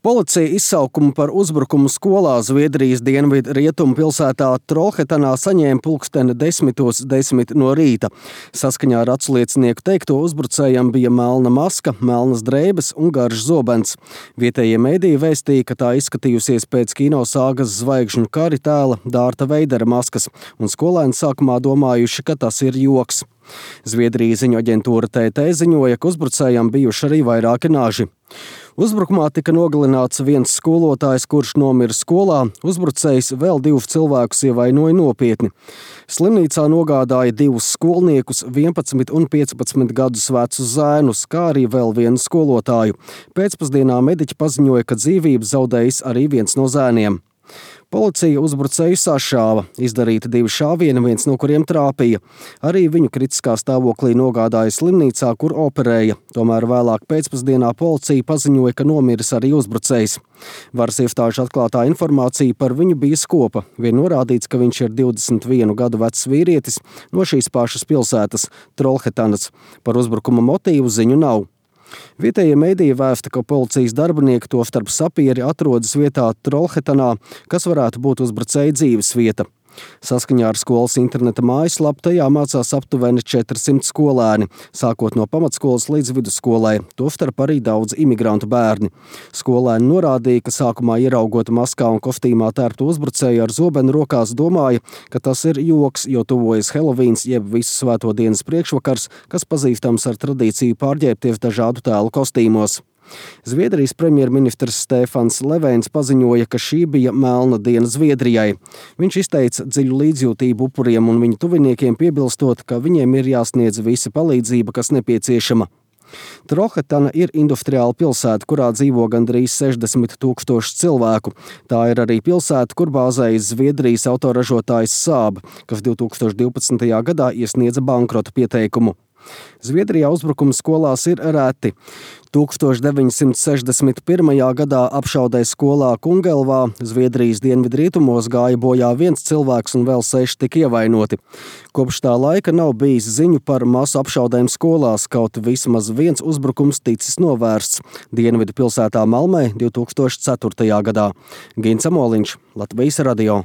Policija izsaukumu par uzbrukumu skolā Zviedrijas dienvidu rietumu pilsētā Trollhättanā saņēma pulksteni 10:10 no rīta. Saskaņā ar atsliecinieku teikto, uzbrucējam bija melna maska, melnas drēbes un garš zobens. Vietējie mediji vēstīja, ka tā izskatījusies pēc kino sāgas Zvaigžņu kari tēla Dārta Veidera maskas, un skolēni sākumā domājuši, ka tas ir joks. Zviedrijas ziņu aģentūra TT ziņoja, ka uzbrucējam bijuši arī vairāki naži. Uzbrukumā tika nogalināts viens skolotājs, kurš nomira skolā. Uzbrucējs vēl 2 cilvēkus ievainoja nopietni. Slimnīcā nogādāja 2 skolniekus, 11 un 15 gadus vecus zēnus, kā arī vēl vienu skolotāju. Pēcpusdienā mediķi paziņoja, ka dzīvību zaudējis arī viens no zēniem. Policija uzbrucēju sašāva, izdarīta 2 šāvieni, viens no kuriem trāpīja. Arī viņu kritiskā stāvoklī nogādāja slimnīcā, kur operēja. Tomēr vēlāk pēcpusdienā policija paziņoja, ka nomiris arī uzbrucējs. Varas iestāžu atklātā informācija par viņu bija skopa. Vien norādīts, ka viņš ir 21 gadu vecs vīrietis no šīs pašas pilsētas, Trollhättanas. Par uzbrukuma motīvu ziņu nav. Vietējie mediji vēsta, ka policijas darbinieki, tostarp sapieri, atrodas vietā Trollhättanā, kas varētu būt uzbrucēja dzīves vieta. Saskaņā ar skolas interneta mājaslapu tajā mācās aptuveni 400 skolēni, sākot no pamatskolas līdz vidusskolai, tostarp arī daudz imigrantu bērni. Skolēni norādīja, ka sākumā ieraugot maskā un kostīmā tērptu uzbrucēju ar zobenu rokās, domāja, ka tas ir joks, jo tuvojas Helovīns jeb Visu svēto dienas priekšvakars, kas pazīstams ar tradīciju pārģērbties dažādu tēlu kostīmos. Zviedrijas premjerministrs Stefans Löfvens paziņoja, ka šī bija melna diena Zviedrijai. Viņš izteica dziļu līdzjūtību upuriem un viņu tuviniekiem, piebilstot, ka viņiem ir jāsniedz visa palīdzība, kas nepieciešama. Trollhättana ir industriāla pilsēta, kurā dzīvo gandrīz 60 000 cilvēku. Tā ir arī pilsēta, kur bāzējas Zviedrijas autoražotājs Saab, kas 2012. gadā iesniedza bankrota pieteikumu. Zviedrijā uzbrukumi skolās ir reti. 1961. gadā apšaudē skolā Kungelvā, Zviedrijas dienvidrietumos, gāja bojā 1 cilvēks un vēl 6 tika ievainoti. Kopš tā laika nav bijis ziņu par masu apšaudēm skolās, kaut vismaz 1 uzbrukums ticis novērsts dienvidu pilsētā Malmē 2004. gadā. Gins Amoliņš, Latvijas radio.